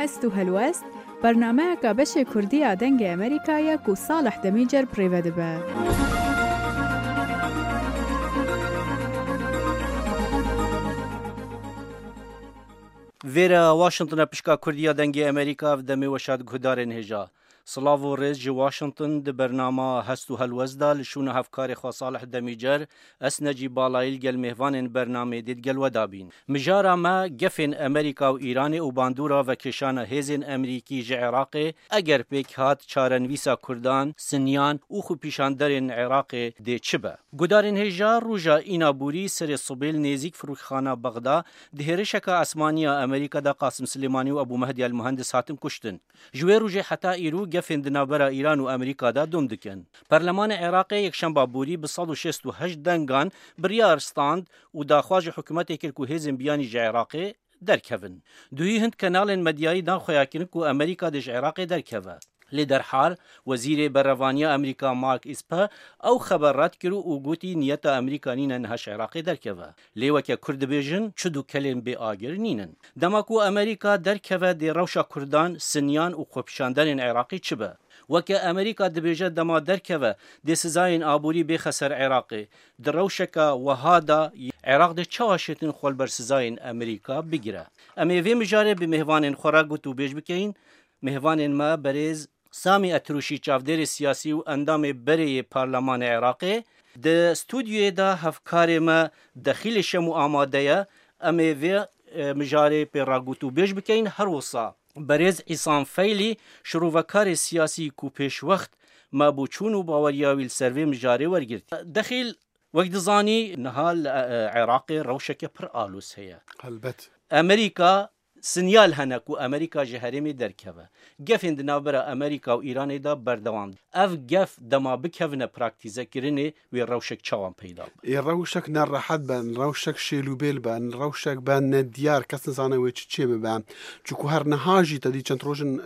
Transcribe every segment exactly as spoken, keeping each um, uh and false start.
Hest û helwest, bernameyeka beşê Kurdî ya Dengê Amerîka ye ku Salih Demîcer bi rê ve dibe. Vêre Washington e, pişka Kurdî ya Dengê Amerîka, ev demê we şad guhdarên hêja. Silav û rêz ji Washington, di bernama Hest û Helwest de li şûna hevkarê xwe Salih Demîcer, ez Necîb Balayî li gel mêvanên bernamê dê digel we dabîn. Mijara me gefên Amerîka û Îranê û bandora vekêşana hêzên Amerîkî ji Iraqê, eger pêk hat çarenivîsa Kurdan, Sinyan û xwepîşanderên Iraqê dê çi be. Gudarên hêja, roja îna borî serê sibê li nêzîk firokexana Bexda di hêrişeka esmanî ya Amerîka de Qasim Silêmanî û Ebû Mehdî El Muhendis hatin kuştin. Ji wê rojê heta îro gefên di navbera Îran û Amerîka de dom dikin. Perlemanê Iraqê yekşemba borî bi sed û şêst û heşt dengan biryar stand û daxwaz ji hikûmetê kir ku hêzên biyanî ji Iraqê derkevin. Duhî hind kenalên medyayî dan xweya kirin ku Amerîka dê ji Iraqê derkeve. Lê derhal Wezîrê Berevaniya Amerîka Mark Esper ew xeber red kir û gotî niyeta Amerîka nîne niha ji Iraqê derkeve. Lê weke Kurd dibêjin, çi du kelên bê agir nînin. Dema ku Amerîka derkeve dê rewşa Kurdan, Sinyan û xwepîşanderên Iraqê çi be? Weke Amerîka dibêje dema derkeve dê sizayên aborî bêxe ser Iraqê. Di rewşeke wiha de Iraq dê çawa şêtin xwe li ber sizayên Amerîka bigire? Em ê vê mijarê bi mêvanên xwe re gotûbêj bikeyin. Mêvanên me berêz Samî Etrûşî, çavdêrê siyasî û endamê berê yê Parlemanê Iraqê, di stûdyoyê de hevkarê me Dexîlê Şemo amade ye. Em ê vê, e, mijarê pê re gotûbêj bikeyin. Her wisa berêz Îsan Feylî, şirovekarê siyasî ku pêşwext me bo çûn û baweriya wî li ser vê mijarê wergirt. Dexîl, wek dizanî, niha li, e, e, Iraqê rewşeke pir aloz heye. Helbet. Amerîka, sinyal hene ku Amerîka ji herêmê derkeve. Gefên di navbera Amerîka û Îranê de berdewam. Ev gef dema bikevine praktîzekirinê, wê rewşek çawan peyda be? Ê rewşek ne rehet be, rewşek şêlûbêl be, rewşek be nediyar, kes nizane wê çi çê bibe. Çunku her niha jî te dî çend roj in, e,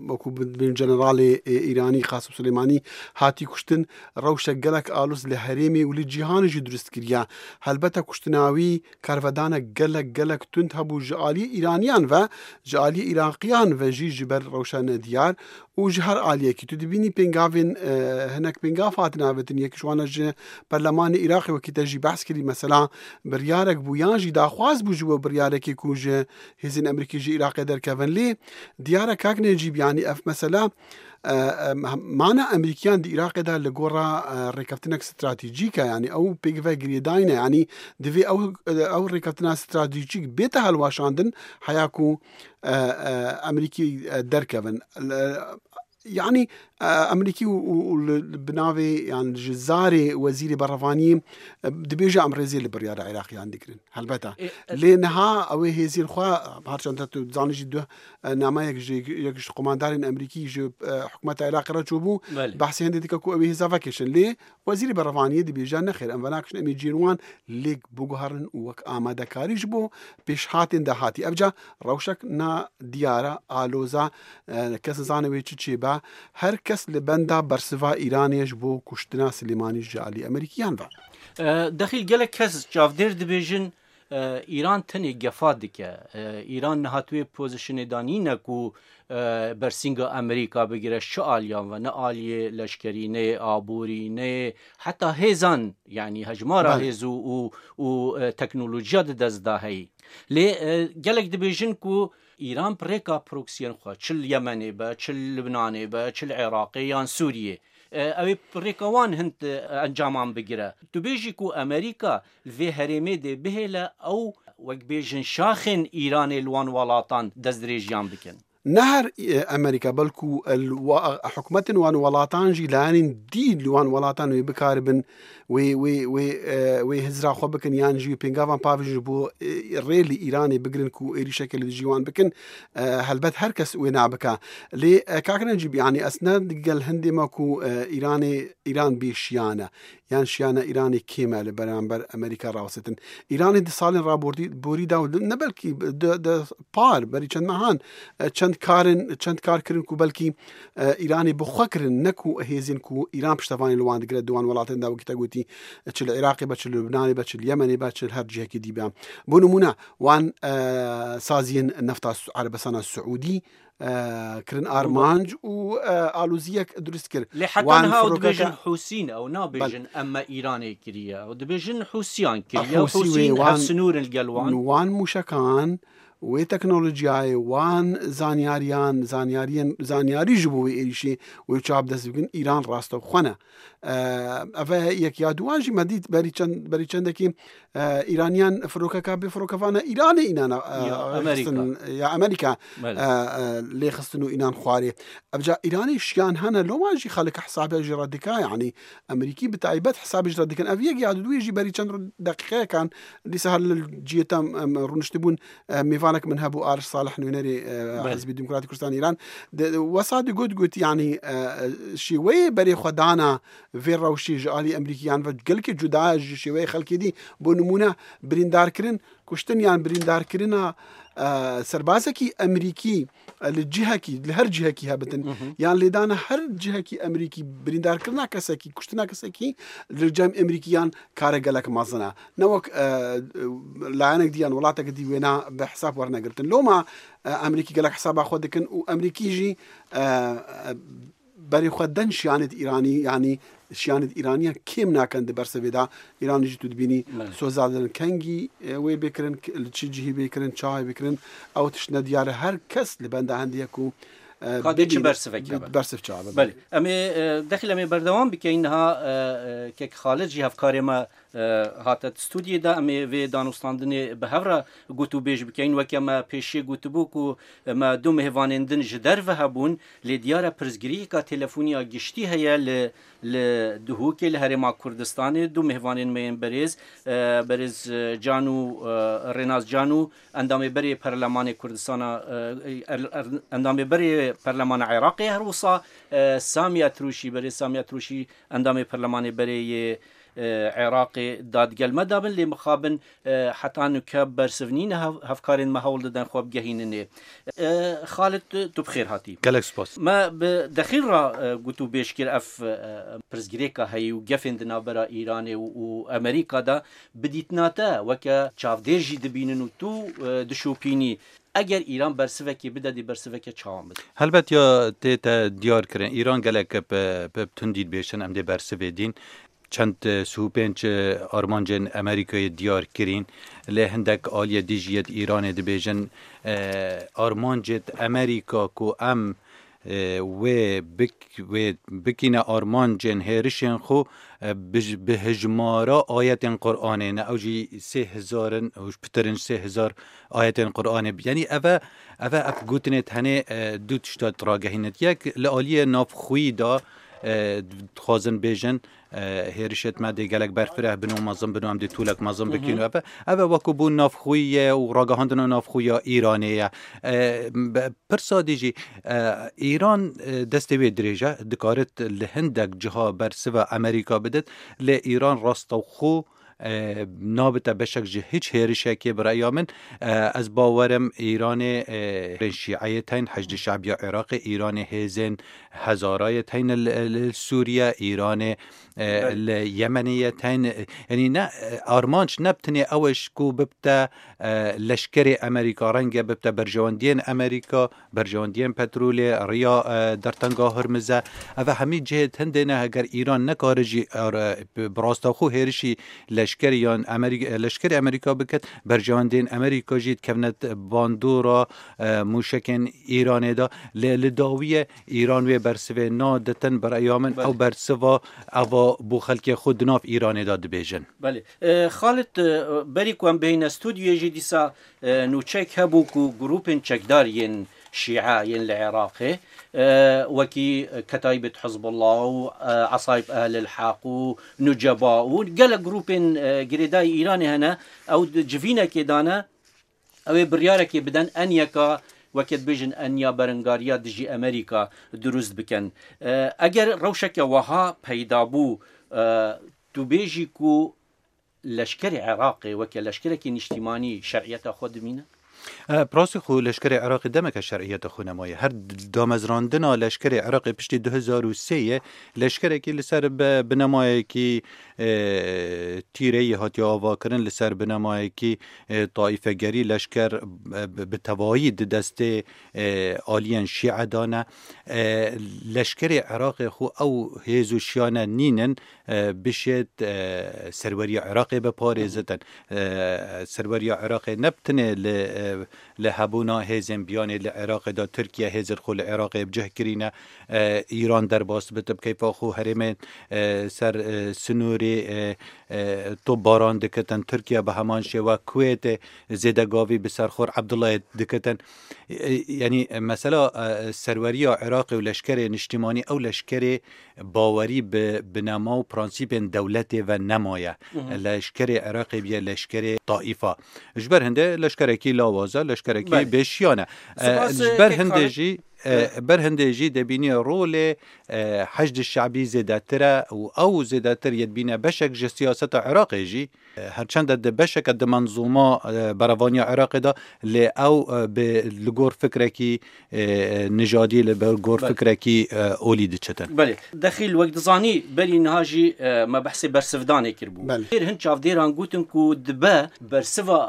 wekû bi-, bin generalê, e, Îranî Qasim Suleymanî hatî kuştin, rewşek gelek aloz li herêmê û li cîhanê jî dirust kiriye. Helbete kuştina wî karvedanek gelek, gelek tund hebû ji aliyê Îraniyan ve, ji aliyê Îraqiyan ve jî ji ber rewşa nediyar û ji her aliyekî. Tu dibînî pêngavên, e, hinek pêngav hatin avêtin, yek ji wan e ji perlemanê Iraqê wekî te jî behs kirî, mesela biryarek bû yan jî daxwaz bû ji bo biryarekê ku ji hêzên Amerîkî ji Iraqê derkevin. Lê diyar e kak Necîb, yanî ev mesela, e, e, mana Amerîkiyan di Iraqê de li gora, e, rêkeftinek stratejîk e, yanî ew pêk ve girêdayî ne, yanî divê ew, ew rêkeftina stratejîk bête hilweşandin, heya ku, e, e, Amerîkî, e, derkevin. L-, yanî, e, Amerîkî û, û, û li, li bi navê, yan ji zarê Wezîrê Berevaniyê, e, dibêje em rêzê li biryara Iraqiyan digirin. Helbeta. E, e, Lê niha ew ê hêzên xwe, her çend tu dizanî jî duh, e, nameyek ji, yek ji qomandarên Amerîkî ji, e, hikûmeta Iraqê re çûbû. Belê. Behsê hindê dike ku ew ê hêza vekişin. Lê Wezîrê Berevaniyê dibêje, nexêr, em venakişin, em ê cihên wan lêk biguherin û wek amadekarî ji bo pêşhatên dahatî. Evca rewşek nadiyar e, aloz e, e, kes nizane wê çi çêbe. Her kes li benda bersiva Îranê ye ji bo kuştina Silêmanî ji alî Amerîkiyan ve. E, dexîl gelek kes çavdêr dibêjin, e, Îran tenê gefa dike. E, Îran niha di wê pozîsyonê de nîne ku, e, bersînga Amerîka bigire, ji çi aliyan ve, ne aliyê leşkerî, ne yê aborî, ne yê heta hêzan, yanî hejmara Belê. hêz û, û, û, e, teknolojiya di dest de heyî. Lê, e, gelek dibêjin ku Îran bi rêka proksiyên xwe, çi li Yemenê be, çi li Libnanê be, çi li Iraqê yan Sûriyê, e, ew ê bi rêka wan hind, e, encaman bigire. Tu bêjî ku Amerîka li vê herêmê dê bihêle ew, wek bêjin, şaxên Îranê li wan welatan destdirêjiyan bikin? Ne her, e, Amerîka, belkû, e, li wa-, hikûmetên wan welatan jî layanên dî li wan welatan wê bikaribin, wê, wê, wê, e, wê hizra xwe bikin, yan jî wê pêngavan pavêjin ji bo, e, rê li Îranê bigirin ku êrîşeke li dijî wan bikin, e, helbet her kes wê nabike. Lê, e, kak Necîb, yanî ez ne digel hindê me ku, e, Îranê, Îran bê şiyane, yan şiyana Îranê kêm e li beramber Amerîka rawestin. Îranê di salên raborî-, borî de û ne belkî di, di par, berî çend mehan, e, çend Karin, çend kar kirin ku belkî, e, Îranê bi xwe kirin, ne ku hêzên ku Îran piştevanî li wan digire di wan welatên de, wekî te gotî, çi li Iraqê be, çi li Lubnanê be, çi li Yemenê be, çi li her cihekî dî be. Bo nimûne, wan, e, saziyên nefta Su-, Erebistana Siûdî, e, kirin armanc û, e, aloziyek dirust kir. Lê heta Wan niha ew firoke dibêjin ka- Hûsîn, ew nabêjin Bel- em me Îranê kiriye. Ew dibêjin Hûsiyan kiriye. Hûsî wê Hûsîn wan, hevsinûr in li gel wan. wan mûşekan, wê teknolojiyayê, wan zanyariyan, zanyariyên, zanyarî ji bo wê êrîşê wê çav dest bikin, Îran rastewxwe ne. E, ev e yek ya duwan jî me dît berî çend, berî çendekî, e, Îraniyan firokeka bê firokevana Îranê înan, e, Ya Amerîka. xistin, ya Amerîka, Belê. e, e, lê xistin û înan xwarê. Evca Îranê şiyan hene, loma jî xelike hesabê jî re dike, yanî Amerîkî bi taybet hesabê jî re dikin. Ev yek ya duwê jî berî çend ro-, deqîqeyekan dîsa her li cihê te em, em rûniştibûn, e, mêvanek min hebû Arif Salih nûnerê, e, Belê. Hizbê Demokratîk Kurdistan Îran. De, wesa digot, got, yanî, e, şêweyê berê xwe dana vê rewşê ji alî Amerîkiyan ve gelkî cuda ji şêweyê xelkê dî. Bo nimûne birîndarkirin, kuştin yan birîndarkirina, e, serbazekî Amerîkî, e, li cihekî, li her cihekî hebitin, Hı hı. yan lêdana her cihekî Amerîkî, birîndarkirina kesekî, kuştina kesekî li cem Amerîkiyan kare gelek mezin e. Ne wek, e, layenek dî yan welatek dî wêna bi hesab wernegirtin. Loma, e, Amerîkî gelek hesaba xwe dikin û Amerîkî jî, e, e, berê xwe den şiyanêt Îranî, yanî şiyanêt Îraniyan kêm nakin di bersivê de. Îran jî tu dibînî Belê. soza din kengî, e, wê bêkirin, k-, li çi cihî bêkirin, çawa bêkirin, ew tişt nediyar e. Her kes li benda hendê ye ku, e, Ka dê çi bibîne, bersivek bi-, hebe. bersiv çawa be. Belê. Em ê, e, dexil em ê berdewam bikeyin. Niha, e, e, kek Xalid jî hevkarê me, e, hate studiyê de. Em ê vê danûstandinê bi hev re gotûbêj bikeyin. Weke me pêşiyê gotibû ku me du mêvanên din ji derve hebûn, lê diyar e pirsgirêka telefonî ya giştî heye li, li Duhokê, li Herêma Kurdistanê. Du mêvanên me yên berêz, e, berêz, e, Can û, e, Rênas Can û endamê berê Perlemanê Kurdistana, e, er-, er-, endamê berê Perlemana Iraqê, her wisa, e, Samî Etrûşî, berêz Samî Etrûşî endamê Perlemanê berê yê, e, Iraqê da digel me de bin, lê mixabin, e, heta nuke bersiv nîne, hev-, hevkarên me hewl didin xwe bigehînin ê. E, Xalid, tu, tu bi xêr hatî. Gelek spas. Me bi dexîl re, e, gotûbêj kir ev, e, pirsgirêka heyî û gefên di navbera Îranê û, û Amerîka de. Bi dîtina te, weke çavdêr jî dibînin û tu, e, dişopînî, eger Îran bersivekê bide, dê bersiveke çawan bide? Helbet ya tê te diyar kirin. Îran gelek bi, bi tundî dibêjin, em dê bersivê dîn. Çend, e, sûpên çi armancên Amerîkayê diyar kirîn, lê hindek aliyê dî jî yê Îranê dibêjin, e, armancê Amerîka ku em, e, wê bik-, wê bikîne armancên hêrişên xwe, e, bi, bi hijmara ayetên Qur'anê ne, ew jî sê hezar in, ew pitir in ji sê hezar ayetên Qur'anê. Yanî ev e, ev e, ev gotinê tenê, e, du tişta ragehînit. Yek li aliyê navxwî de, e, dixwazin bêjin, e, hêrişêt me dê gelek berfireh bin û mezin bin û em dê tûlek mezin Hı hı. bikin û ev e, ev e wekû bû navxwî ye û ragihandina navxwî ya Îranê ye. E, be-, pirsa dî jî, e, Îran, e, destê wê dirêj e, dikarit li hindek ciha bersiva Amerîka bidit, lê Îran rastewxo, e, nabite beşek ji hiç hêrişekê bi reya min. E, ez bawerim Îranê, e, şîeyê teyn, Heşdî Şebiya Iraqê, Îranê hêzên Hezarayê teyn li, li Sûriye, Îranê, e, Belê. li Yemenê ye teyn, e, yanî ne, e, armanc ne bi tenê ew e ji ku bibte, e, leşkerê Amerîka, renge bibte berjewendiyên Amerîka, berjewendiyên petrolê, riya, e, dertenga Hurmize. Ev hemî cihê hindê ne, heger Îran nekare jî, e, re-, bi, bi rastewxo hêrişî leşkerî yan Amerî-, e, leşkerê Amerîka biket, berjewendiyên Amerîka jî dikevne bandora, e, mûşekên Îranê de. Lê li dawiyê Îran wê bersivê naditin, bi reya min Belê. ew bersiva eva bo xelkê xwe di nav Îranê de dibêjin. Belê. E, Xalid, e, berî ku em bihêne stûdyoyê jî dîsa, e, nûçek hebû ku grûpên çekdar yên Şîe yên li Iraqê, e, wekî Ketaîbet Hizbullah û, e, Esaîb Ehlil Heq û Nuceba û gelek grûpên, e, girêdayî Îranê hene, ew di civînekê dane, ew ê biryarekê bidin, en yeka, weke dibêjin, en ya berengariya dijî Amerîka dirust bikin. E, eger rewşeke weha peyda bû, e, tu bêjî ku leşkerê Iraqê weke leşkerekî niştîmanî şer'iyeta xwe dimîne? E, bi rastî xwe leşkerê Iraqê demeke şer'iyeta xwe nemaye. Her damezrandina leşkerê Iraqê piştî du hezar û sê ye, leşkerekî li ser bi-, binemayekî, e, tîreyî hatiye avakirin, li ser binemayekî, e, taîfegerî leşker, e, bi, bi tevayî di destê, e, aliyên Şîe de ne. E, leşkerê Iraqê xwe ew hêz û şiyane nînin, e, bişêt, e, serweriya Iraqê biparêzitin. E, serweriya Iraqê ne bi tenê li, e, li hebûna hêzên biyanê li Iraqê de Tirkiye hêzên xwe li Iraqê bi cih kirîne, e, Îran derbas bite bi keyfa xwe herêmên, e, ser, e, sinûrê, e, e, topbaran dikitin. Tirkiye bi heman şêwe Kuwêtê zêdegavî bi ser xwe Abdullahê dikitin. E, yanî, e, mesela, e, serweriya Iraqê û leşkerê niştimanî, ew leşkerê bawerî bi binema û prensîpên dewletê ve nemaye. Leşkerê Iraqê biye leşkerê taîfa. Ji ber hindê leşkerekî lawaz e, leşkerekî Belê. bêşiyan e. E, Spas, ji e, ber kek hindê Xalid. jî, e, Belê. ber hindê jî debînî rolê, e, Heşd Şebî zêdetir e û ew zêdetir yê dibîne beşek ji siyaseta Iraqê jî. E, her çende di beşeke di menzûma, e, berevaniya Iraqê de, lê ew, e, bi, li gor fikrekî, e, nijadî, li ber gor Belê. fikrekî, e, olî diçitin. Belê. Dexîl, wek dizanî, berî niha jî, e, me behsê bersivdanê kiribû. Belê. Her hin çavdêran gotin ku dibe bersiva,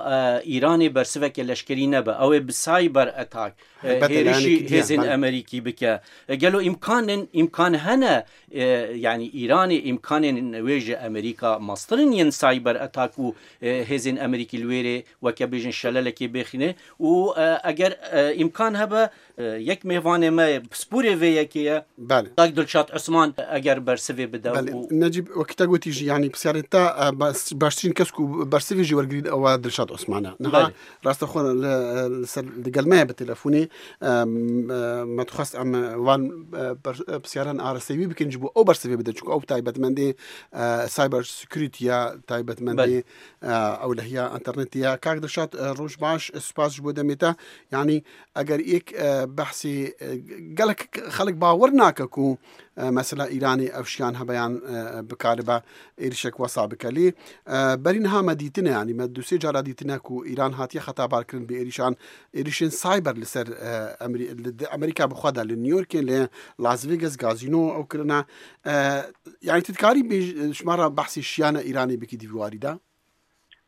e, Îranê bersiveke leşkerî nebe. Ew ê bi cyber attack, e, Helbet, hêrişî yani, hêzên yani. Amerîkî bike. E, gelo îmkanên, îmkan hene, e, yanî Îranê îmkanên wê ji Amerîka meztir in yên cyber attack û, e, hêzên Amerîkî li wê rê weke bêjin şelelekê bêxîne û, e, eger, e, îmkan hebe, e, yek mêvanê me pisporê vê yekê ye. Belê. Kak Dilşad Osman eger bersivê bide Belê. û Necîb, wekî te gotî jî, yanî pisyarê te, e, bas-, baştirîn kes ku bersivê jî wergirî ew e Dilşad Osman e. Niha Belê. rastexwe li, li ser, li gel me ye bi telefonê. Em, e, me dixwest em, e, van, e, ber-, e, pisyaran arasteyî bikin ji bo ew bersivê bide, çunku ew taybetmendê, e, cyber security ya, taybetmendê, Belê. e, ewlehiya internetê ya. Kak Dilşad, e, roj baş, e, spas ji bo demê te. Yanî eger yek, e, behsê, e, gelek xelk bawer nake ku, e, mesela Îranê ev şiyan hebe yan, e, bikaribe êrişek wesa bike. Lê, e, berî niha me dîtine, yanî me du sê cara dîtine ku Îran hatiye xetabarkirin bi êrişan, êrişên cyber li ser, e, Amerî-, li, di Amerîka bi xwe de, li New Yorkê, li Las Vegas gazîno ew kirine. E, yanî tu dikarî bêj-, ji me re behsê şiyana Îranê bikî di vî warî de?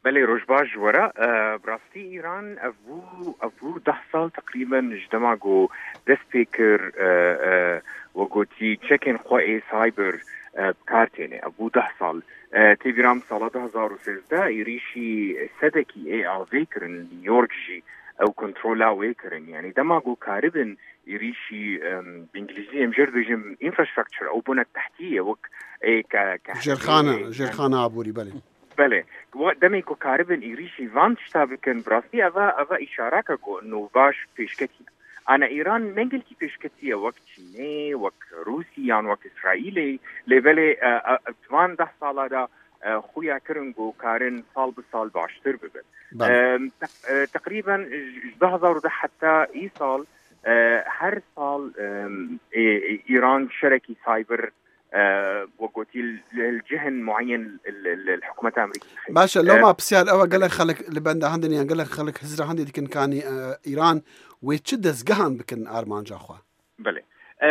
Belê, roj baş ji we re. E, bi rastî Îran ev bû, ev bû deh sal teqrîben ji dema ku dest pê kir, e, e, we gotî çekên xwe ê cyber, e, bi kar têne. Ev bû deh sal. E, tê bîra min sala du hezar û sêzdeh êrîşî sedekî ê avê kirin li New York jî ew kontrola wê kirin. Yanî dema ku karibin êrîşî, em, bi îngilîzî em jê re dibêjin infrastructure, ew bûne tehtî ye, wek ê ke-, ke- Jêrxane, ê, jêrxane aborî, belê. Belê. Wa-, demê ku karibin êrîşî van tişta bikin, bi rastî eva, eva îşareke ku nû baş pêşketî. Ana Îran ne gelkî pêşketî ye wek Çînê, wek Rûsî yan wek Îsraîlê. Lê belê, e, e, di van deh sala de, e, xuya kirin ku karin sal bi sal baştir bibin. Belê. E, te-, e, teqrîben ji, ji du hezar û deh heta îsal, e, her sal, e, e, Îran şerekî cyber e, wek gotî, li, li cihên mueyen li, li, li hikûmeta Amerîkî dixin. Baş e, E, loma pisyar ew e, gelek xelk li benda hindin yan gelek xelk hizra hindê dikin kanî, e, Îran wê çi dezgehan bikin armanca xwe? Belê. E,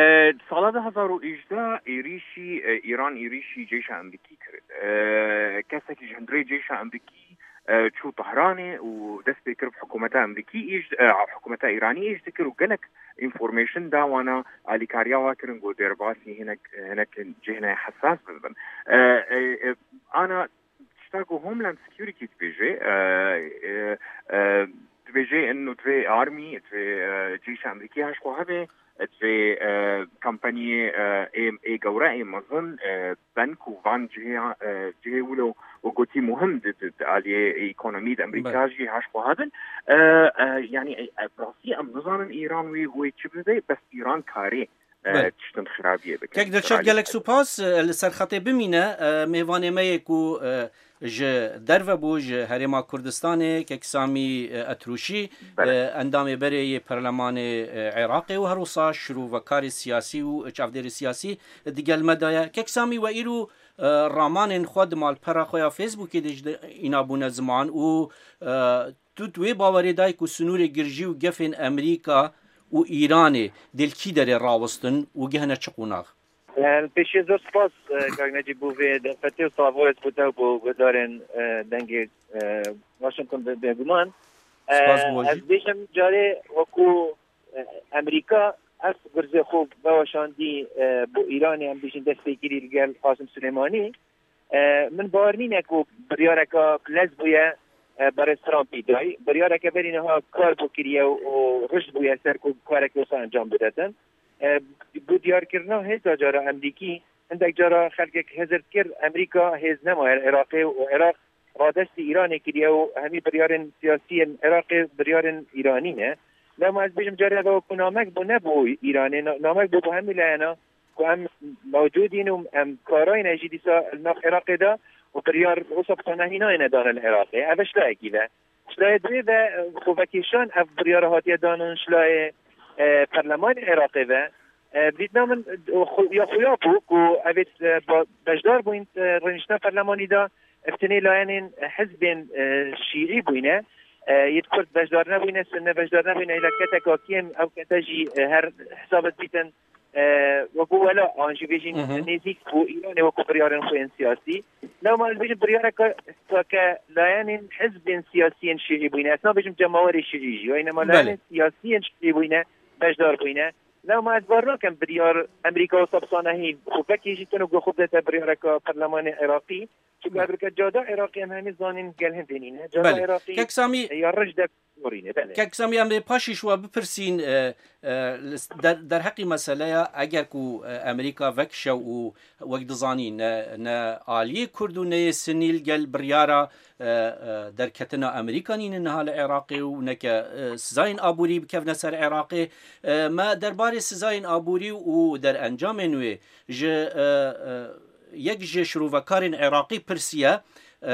sala du hezar û hejdeh êrîşî, e, Îran êrîşî ceyşa Amerîkî kirin. E, kesekî ji hundirê ceyşa Amerîkî, e, çû Tehranê û dest pê kir bi hikûmeta Amerîkî îş, e, hikûmeta Îranî îş dikir û gelek information da wana, alîkariya wa kirin ku derbasî hinek, hinek cihê hesas bibin. E, e, e, ana tişta ku Homeland Security dibêje, e, e, e, dibêje inu divê army, divê, e, cîşa Amerîkî haş xwe hebe, divê, e, kampaniyê, e, ê, ê gewre, ê mezin, e, ben ku van cihê, e, cihê wilo û gotî muhim di, di, di aliyê ekonomî de Amerîka Belê. jî haş xwe hebin. E, e, yanî, e, e, rastî em nizanin Îran wê, wê çi bibe, bes Îran karê, e, Belê. tiştin xirabiyê bike. Kek Dilşad, Ralî gelek hebe. supas, e, li ser xetê bimîne, e, mêvanê me yê ku, e, ji derve bû, ji Herêma Kurdistanê, kek Samî, e, Etrûşî, Belê. e, endamê berê yê Perlemanê, e, Iraqê û her wisa şirovekarê siyasî û çavdêrê siyasî di gel me de ye. Kek Samî, we îro, e, ramanên xwe di malpera xwe ya Facebookê de jî de îna bûne ziman û, e, Tu, tu wê bawerê dayî ku sinûrê girjî û gefên Amerîka û Îranê dê li kî derê rawestin û gehne çi qonax? Li pêşiyê zor spas, e, kak Necîb, bo vê derfetê û slavê bo te û bo guhdarên, e, dengê, e, Washington be-, bêguman. E, Spas bo ez jî. Bêjim carê wekû, e, Amerîka ev gurzê xwe veweşandî, e, bo Îranê, em bêjin destpêkirî li gel Qasim Silêmanî. E, min bawer nîne ku biryareka bilez bûye, e, berêz Trumpî dayî. Biryareke berî niha kar bû kiriye û, û rijd bûye ser ku kareke wisa encam bidetin. E, bo diyarkirina hêza cara Amerîkî, hindek cara xelkek hizir dikir Amerîka hêz nemaye li Iraqê û Iraq radestî Îranê kiriye û hemî biryarên siyasî yên Iraqê biryarên Îranî ne. Lema ez bêjim carê ev ku namek bû ne bo Îranê, na-, namek bû bo hemî layena ku em mewcûd in û em karayne jî dîsa li nav Iraqê de û biryar wisa bi tenehî nayêne dane li Iraqê. Ev e şilayekî ve. Şilayê duyê ve, e, xwe vekêşan ev biryara hatiye danin şilayê, e, perlemanê Iraqê ve. E, dîtina min, e, xu-, ya xuya bû ku evê, e, ba-, beşdar bûyn, e, rêniştina perlemanî de, e, tenê layenên, e, hizbên, e, şîî bûyne. E, yê kurd beşdar nebûyne, sunne beşdar nebûyne, hêla keteka kêm, ew kete jî, e, her hesabet bîtin, e, wekû wela, an jî bêjin Hı hı. nêzîk û Îranê wekû biryarên xwe yên siyasî. Lewma ez bêjim biryareke ke layenên hizbên siyasiyên şîî bûyne. Ez nabêjim cemawerê şîî jî. Wayne ma Belê. layenên siyasiyên şîî bûyne, beşdar bûyne. Lewma ez bar nakim biryar Amerîka wisa bi sanehî û vekî jî tune ku xwe bidete biryareke perlemanê Iraqî. Çunku Belê. ev rike cada Iraqî em hemî zanîn gel hindê nîne. Cada Belê. Iraqî Kek Samî, ya rij de Kek Samî, em ê paşî ji we bipirsîn, e, e, li s-, der-, derheqî meseleya eger ku, e, Amerîka vekişe û wek dizanî ne, ne aliyê Kurd û ne yê Sinî li gel biryara, e, e, derketina Amerîka nîne niha li Iraqê û neke, e, sizayên aborî bikevne ser Iraqê. E, me derbarê sizayên aborî û derencamên wê ji, e, e, yek ji şirovekarên Iraqî pirsiye, e,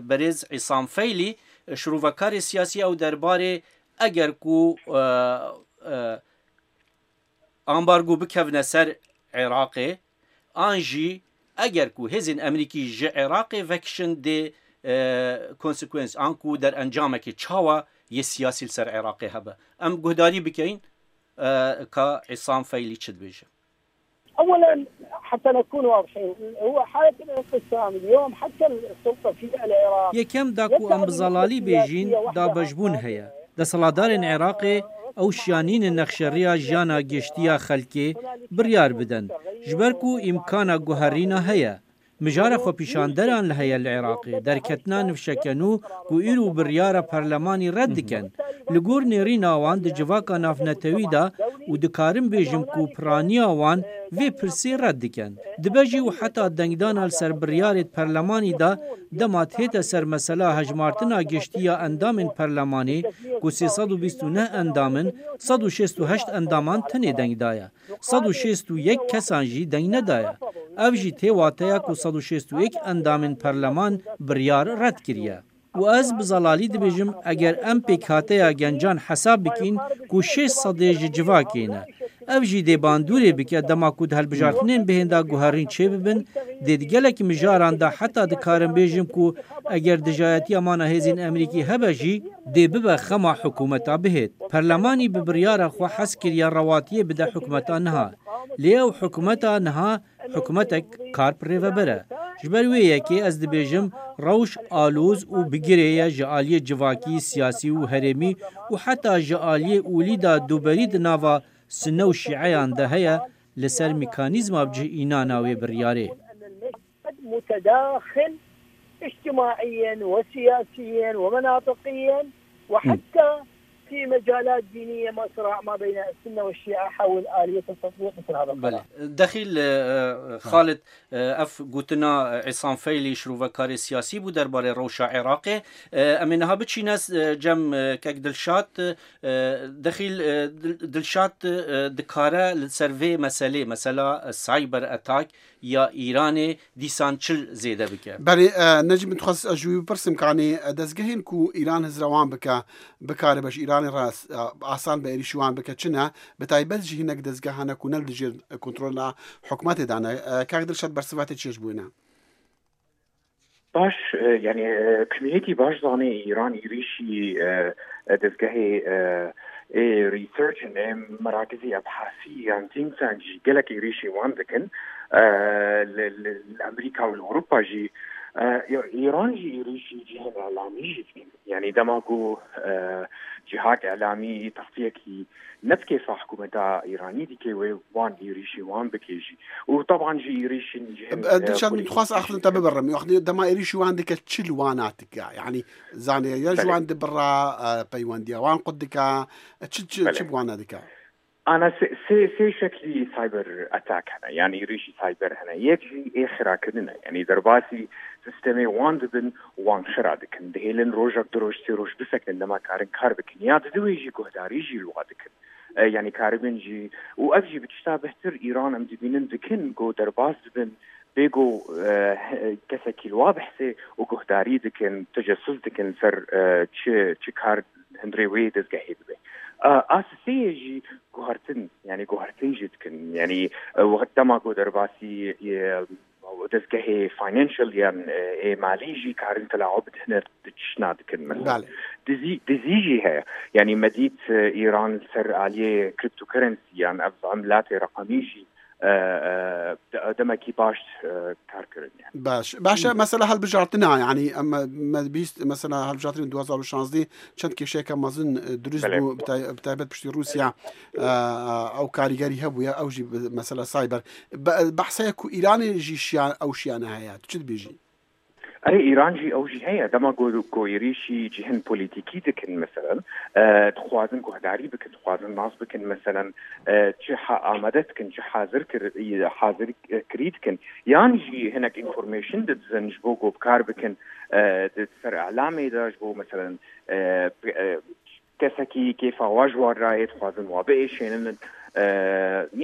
berêz Îsam Feylî, şirovekarê siyasî ew derbarê eger ku, e, e, ambargo bikevne ser Iraqê, an jî eger ku hêzên Amerîkî ji Iraqê vekişin dê, e, konsekwens an ku derencamekê çawa yê siyasî li ser Iraqê hebe. Em guhdarî bikeyin, e, ka Îsam Feylî çi dibêje. أولاً، حتى نكون واضحين، هو حالة الانقسام اليوم حتى السلطة في العراق Yekem da ku em bi zelalî bêjîn, dabeşbûn heye. Desthilatdarên Iraqê ew şiyanîne nexşeriya jiyana giştiya xelkê biryar bidin, ji ber ku îmkana guherîna heye. Mijara xwepîşanderan li heye li Iraqê, derketina nifşeke nû ku îro biryara perlemanî red dikin. Li gor nêrîna wan di civaka navnetewî de û dikarim bêjim ku piraniya wan vê pirsê red dikin. Dibe jî û heta dengdana li ser biryarê di perlemanî de dema tête ser mesela hejmartina giştî ya endamên perlemanê ku sê sed û bîst û neh endam in, sed û şêst û heşt endaman tenê deng daye. Sed û şêst û yek kesan jî deng nedaye. Ev jî tê wateya ku sed û şêst û yek endamên perleman biryar red kiriye. Û ez bi zelalî dibêjim, eger em pêkhateya gencan hesab bikîn ku şêst sedê ji civakê ne, ev jî dê bandorê bike dema ku di hilbijartinên bihên de guherîn çêbibin, dê di gelek mijaran de heta dikarim bêjim ku eger dijayetiya mana hêzên Amerîkî hebe jî, dê bibe xema hikûmeta bihêt. Perlemanî bi biryara xwe hez kiriye rewatiyê bide hikûmeta niha. Lê ew hikûmeta niha hikûmetek kar bi rêveber e. Ji ber wê yekê ez dibêjim, rewş aloz û bi girê ye ji aliyê civakî, siyasî û herêmî û heta ji aliyê olî de dûberî di nava Sunne û Şîeyan de heye, li ser mekanîzma bi cih înana wê biryarê. متداخل اجتماعياً وسياسياً ومناطقياً، وحتى في مجالات دينية، ما صراع ما بين السنة والشيعة حول آلية التطبيق مثل هذا القرار. Belê. Dexîl, e, e, Xalid, e, ev gotina, e, Îsam Feylî şirovekarê siyasî bû derbarê rewşa Iraqê. E, em ê niha biçîne, e, cem, e, kek Dilşad, e, Dexîl, e, Dil-, Dilşad, e, dikare li ser vê meselê, mesela, e, cyber attack ya Îranê dîsan çil zêde bike? Belê, e, Necîb, min dixwest ez ji wî bipirsim, kanî, e, dezgehên ku Îran hizra wan bike, bikare be ji Îranê re, e, asan bi êrîşî wan bike, çi ne? Bi taybet jî hinek dezgehan hene ku ne li dijî kontrola hikûmetê de ne. E, kak Dilşad, bersiva te çi ye ji bo wê ne? Baş, e, yani, e, community baş zanê Îran êrîşî, e, e, dezgehê, e, ê research in, ê merakizî ebhasî yan think tank jî gelek êrîşî wan dikin. E, li, li, li Amerîka û li Ewropa jî, e, Îran jî êrîşî cihên îlamî jî dikin. Yani dema ku, e, cihak îlamî textiyekî ne bi kêfa hikûmeta Îranî dike wê wan êrîşî wan bike jî. Û teban jî êrîşên cihên, e, Dilşad, min dixwast axifin te bibirim. Wextê dema êrîşî wan dike çi li wana dike? Yani zanê ya ji Belê. wan dibira, e, peywendiya wan qut dike, e, çi, çi, Belê. çi bi wana dike? Ana sê, sê, sê şeklî cyber attack hene, yani êrîşî cyber hene. Yek jî ê xirakirin e. Yani derbasî sistemê wan dibin, wan xira dikin. Dihêlin rojek du roj, sê roj bisekinin dema karin kar bikin. Ya di wê jî guhdarî jî li wa dikin. E, yani karibin jî. Û ev jî bi tişta bihtir Îran em dibînin dikin ku derbas dibin. Bê ku, e, he-, kesekî li wa behsê û guhdarî dikin, tecessûs dikin ser, e, çi, çi kar hundirê wê dezgehê dibe. E, a sisê yê jî guhertin, yani guhertin jî dikin. Yani, e, wext dema ku derbasî, e, dezgehê financial yan, e, ê malî jî karin telawa bidihne di çişna dikin mesela. Belê. Dizî, dizî jî heye. Yani me dît, e, Îran ser aliyê cryptocurrency yan ev emilatê reqemî jî, e, e, de-, demekî baş, e, kar kirin yani. Baş. Baş e, mesela helbijartina, yani em, me bîst, mesela helbijartinên du hazar û şazdeh çend kêşeyeke mezin, e, dirust Belê. bû, bi tay-, bi taybet piştî Rûsya, e, e, ew karîgerî hebûye, ew jî bi mesela cyber. Be-, behseye ku Îranê jî şiyan, ew şiyane heye. Tu çi dibêjî? Erê, Îran jî ew jî heye. Dema ku, ku êrîşî cihên polîtîkî dikin, meselen, e, dixwazin guhdarî bikin, dixwazin nas bikin, meselen, e, çi ha-, amade dikin, çi hazir kir-, hazir, e, kirî dikin. Yan jî hinek information didizin ji bo ku bi kar bikin, e, di ser îlamê de, ji bo, meselen, e, e, kesekî kêfa wa ji wan re yê, dixwazin wa biêşênin. E,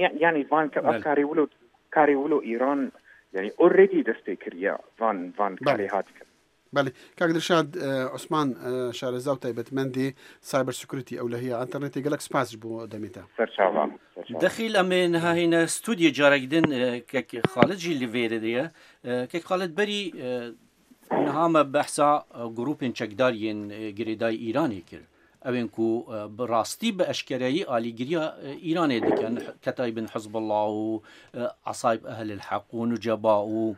ya-, yanî van ke-, ev Belê. karê wilo, karê wilo Îran, yanî already dest pê kiriye van, van Belê. karê hat dikin. Belê. Kak Dilşad, e, Osman, e, şareza û taybetmendê cyber security ewlehiya internetê, gelek spas ji bo demê te. Serçava. Serçava. Dexîl em ê niha hêne studiyê carek din, e, kek Xalid jî li vêrê de ye. E, kek Xalid, berî, e, niha me behsa, e, grûpên çekdar yên, e, girêdayî Îranê kir. Ew ên ku, e, bi rastî, bi eşkereyî alîgiriya, e, Îranê dikin, ketayî bin Hizbullah û, e, Esayb Ehlil Heq û Nuceba û,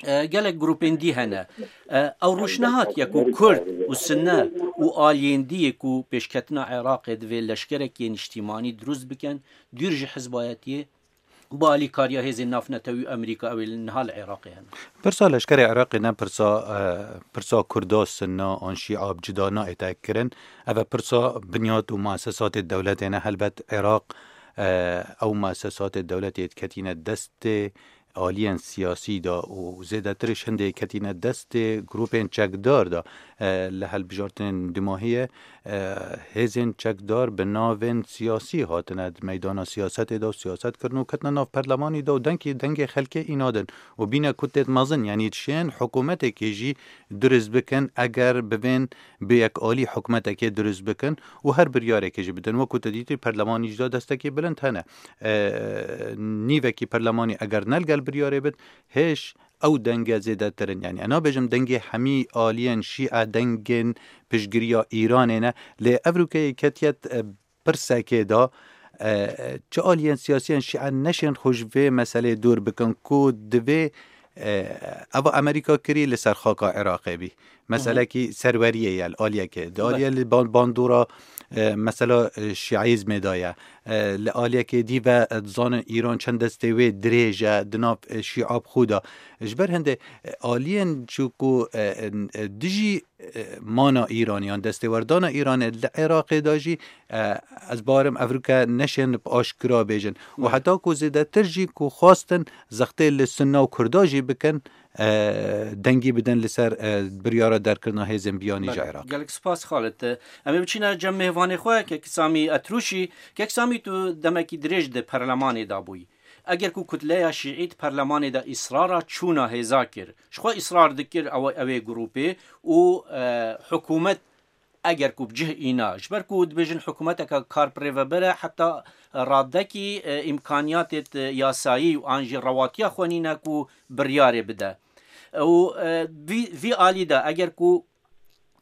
e, gelek grûpên dî hene. E, ew rûş nehatiye ku Kurd û Sunne û aliyên dî yê ku pêşketina Iraqê divê leşkerekê niştîmanî dirust bikin, dûr ji hizbayetiyê, bi alîkariya hêzên navnetewî û Amerîka, ew ê li niha li Iraqê hene. Pirsa leşkerê Iraqê ne pirsa, e, pirsa Kurda, Sunna an Şîa bi cuda nayête kirin. Ev e pirsa binyat û muesesatê dewletê ne. Helbet Iraq, e, ew muesesatê dewletê diketîne destê aliyên siyasî de û zêdetir ji hindê ketîne destê grûpên çekdar de, e, li hilbijartinên dumahiyê, e, hêzên çekdar bi navên siyasî hatine di meydana siyasetê de û siyaset kirin û ketine nav perlemanî de û dengê, dengê xelkê îna din û bîne kutêt mezin, yanî dişên hikûmetekê jî dirust bikin, eger bivên bi yek alî hikûmetekê dirust bikin û her biryarekê jî bidin. Wekû te dîtî perlemanî jî de destekê bilind hene. E, nîvekî perlemanî eger ne li gel biryarê bit, hêj ew denge zêdetir in. Yanî, ez nabêjim dengê hemî aliyên şîe dengên piştgiriya Îranê ne, lê ev rûkeyê ketiye, e, pirsekê de, e, çi aliyên siyasiyên şîe neşên xwe ji vê meselê dûr bikin ku divê, e, eva Amerîka kirî li ser xaka Iraqê bî. Meselekî serweriyê ye li aliyekê. Di Be- aliyê li ban-, bandora, e, mesela, e, şîaîzmê de ye. E, li aliyekê dî ve, e, dizanin Îran çend destê wê dirêj e di nav, e, şîa bi xwe de. Ji ber hindê, e, aliyên çi ku, e, e, dijî, e, mana Îranê yan destêwerdana Îranê li Iraqê de jî, e, ez bawerim ev rûke neşên bi aşkira bêjin. Û Belê. heta ku zêdetir jî ku xwestin zextê li Sunna û Kurda jî bikin, e, dengî bidin li ser, e, biryara derkirina hêzên biyanî ji Belê. Iraq. Gelek spas Xalid. Em ê biçîne cem mêvanê xwe, Kek Samî Etrûşî. Kek Samî, tu demekî dirêj di perlemanê de bûyî. Eger ku kutleya şîî di perlemanê de îsrara çûna hêza kir, ji xwe îsrar dikir ew, ew ê grûpê û, e, hikûmet eger ku bi cih îna, ji ber ku dibêjin hikûmeteke karpirêveber e, heta radekî, e, îmkaniyatê yasayî û an jî rewatiya xwe nîne ku biryarê bide. Û e, vî, vî alî de eger ku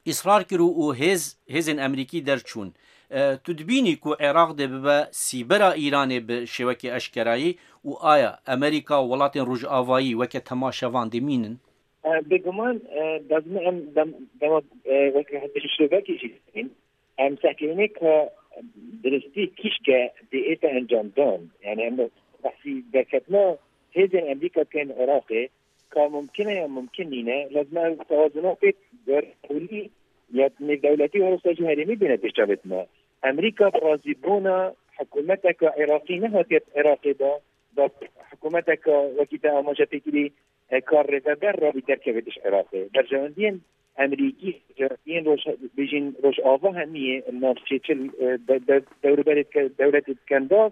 îsrar kir û hêz, hêzên Amerîkî derçûn, e, tu dibînî ku Iraq dê bibe sîbera Îranê bi şêwekê eşkerayî û aya Amerîka û welatên Rojavayî weke temaşevan dimînin? E, bêguman, e, lazim e em dem, dema, e, weke hevdî şovekî jî dibînin. Em sekeyne ka diristî kîşke dê ête encamdan. Yani em behsî derketina hêzên Amerîka tên Iraqê, ka mumkin e ya mumkin nîne, lazim e ew tewazuna pêk, gar ewlî ya nêvdewletî û herwisa jî herêmî bîne pêşçavêtina. Amerîka bi razîbûna hikûmeteka Iraqî nehatiye Iraqê de, da hikûmeteka wekî te amaje pêkirî, e, kar rêveber rabî derkeve diş Iraqê. Berjewendiyên Amerîkî, berjewendiyên roj-, bêjin Rojava hemiyê, navçê çil, e, de, de, dewrûberê ke-, dewletê dikendaz,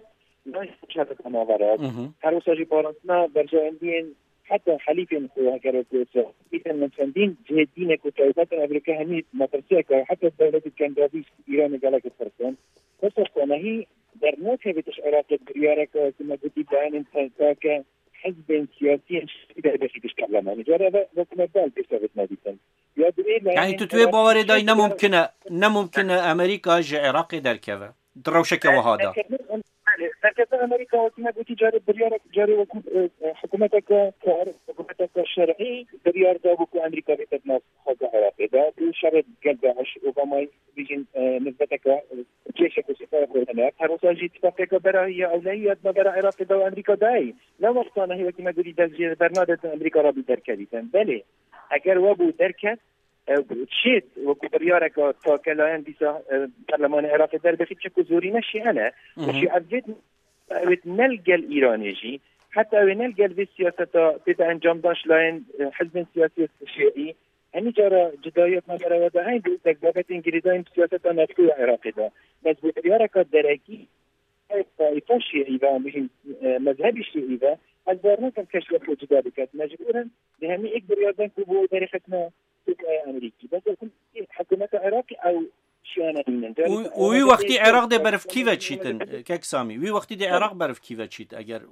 nayê çareta navera. Mhm. Her wisa jî parastina berjewendiyên heta helîfên xwe heger wekî Îsraîl. Îsraîl min çendîn cihê dînek û taybet in, ev rike hemî metirsiyeke heta dewletê dikendazî Îranê gelek tirsin. Wisa xwe nehî dernakeve diş Iraqê biryareke ku me gotî beyanên tevkake hizbên siyasî yên şerî derbexî diş parlemanê. Cara ve wekî me bal pêşevit nedîtin. Ya di wê layînê Yani tu tu wê bawerê dayî ne mumkin e, ne mumkin e Amerîka ji Iraqê derkeve. Di rewşeke wiha de. Belê, derketina Amerîka wekî me gotî carê biryarek, carê wekî, e, e, hikûmeteke kar, hikûmeteke şerî biryar da bû ku Amerîka bête di nav xaka Iraqê de. Bi şerê gel DAIŞ, Obamayê bêjin, e, nisbeteke, e, cêşek û sîpaya xwe hene. Her wisa jî tifaqeke bera ya ewlehî ya di navbera Iraqê de û Amerîka dayî. Ne wexta nehî wekî me gotî dest jê bernadin Amerîka rabî derkevîtin. Belê, eger we bû derket, e, çêt wekî biryareke takelayan dîsa, e, Perlemanê Iraqê derbexî, çiku zorîne şîe ne. Mhm. Şîe ev vêt, ew êt ne li gel Îranê jî, heta ew ê ne li gel vê siyaseta tête encamdan ji layên, e, hizbên siyasî şîeî. Hemî cara cidayiya navbera we de heyî bi wek babetên girêdayî bi siyaseta navxwe ya Iraqê de. Bes bi biryareka derekî, taîfa şîeî ve, an bêjin, e, mezhebî şîeî ve, ez bawer nakim kes ji xwe cuda biket. Mecbûr in di hemî êk biryar den ku bo derêxistina Tirkiyeyê Amerîkî. Bes ew hikûmeta Iraqê ew şiyane nînin. Û, û wî wextî Iraq dê berf kî ve çîtin, kek Samî? Wî wextî dê Iraq berf kî ve çît eger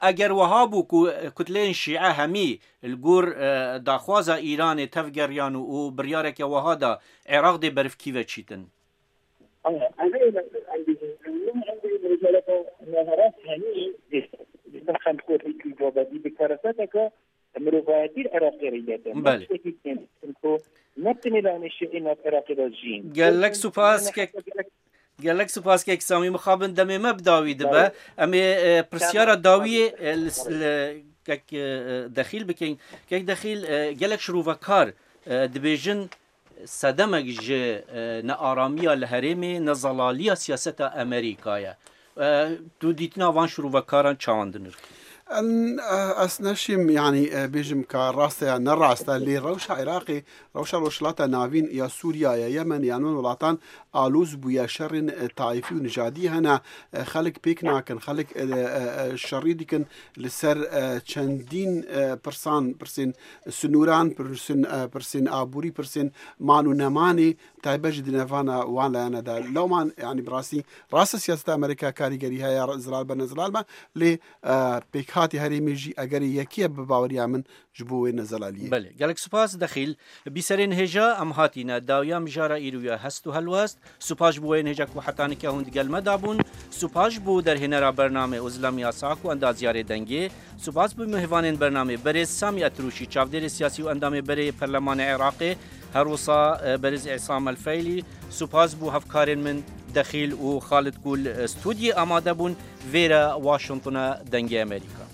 Eger wiha bû ku kutleyên şîe hemî li gor, e, daxwaza Îranê tevgeriyan û, û biryareke wiha da Iraq dê berf kî ve çîtin? Mirovayetî Iraqê reyletin. Belê. Tiştekî kêm ku ne tenê layînê şîî nav Iraqê de jîn. Gelek supas kek, gelek supas kek Samî, mixabin demê me bi dawî dibe. Belê. Em ê, e, pirsyara dawiyê, e, li, li kek, e, Dexîl bikin. Kek Dexîl, e, gelek şirûvekar, e, dibêjin sedemek ji, e, nearamiya li herêmê, nezelaliya siyaseta Amerîka ye. E, tu dîtina van şirûvekaran çawan dinirxî? En, e, ez neşîm, yanî, e, bêjim ka rast e ya ne rast e, lê rewşa Iraqê, rewşa Rojhilata Navîn ya Sûriya, ya Yemen, ya nan welatan aloz bûye, şerên, e, taîfî û nijadî hene, e, xelk pêk nakin, xelk, e, e, e, şerî dikin li ser, e, çendîn, e, pirsan, pirsên sinûran, pirsên, e, pirsên aborî, pirsên man û nemanê, taybet jî di navana wan layana de. Lewman, yanî bi rastî, rast e siyaseta Amerîka karîgerî heye, zelal be, ne zelal be, lê, e, pêkhatî herêmê jî egerê yekî ye bi baweriya min ji bo wê ne zelaliyê. Belê, gelek spas Dexîl. Bîserên hêja, em hatîne dawiya mijara îro ya hest û helwest. Spas ji bo wê hêja ku heta nika hûn digel me dabûn. Spas ji bo derhênera bernamê Ozlem Yasak û endaziyarê dengê. Spas bo mêvanên bernamê berêz Samî Etrûşî, çavdêrê siyasî û endamê berê yê Perlemanê Iraqê, her wisa, e, berêz Îsam El Feylî. Spas bo hevkarên min Dexîl û Xalid ku li, e, stûdyê amade bûn. Vêre Washingtona Dengê Amerîka.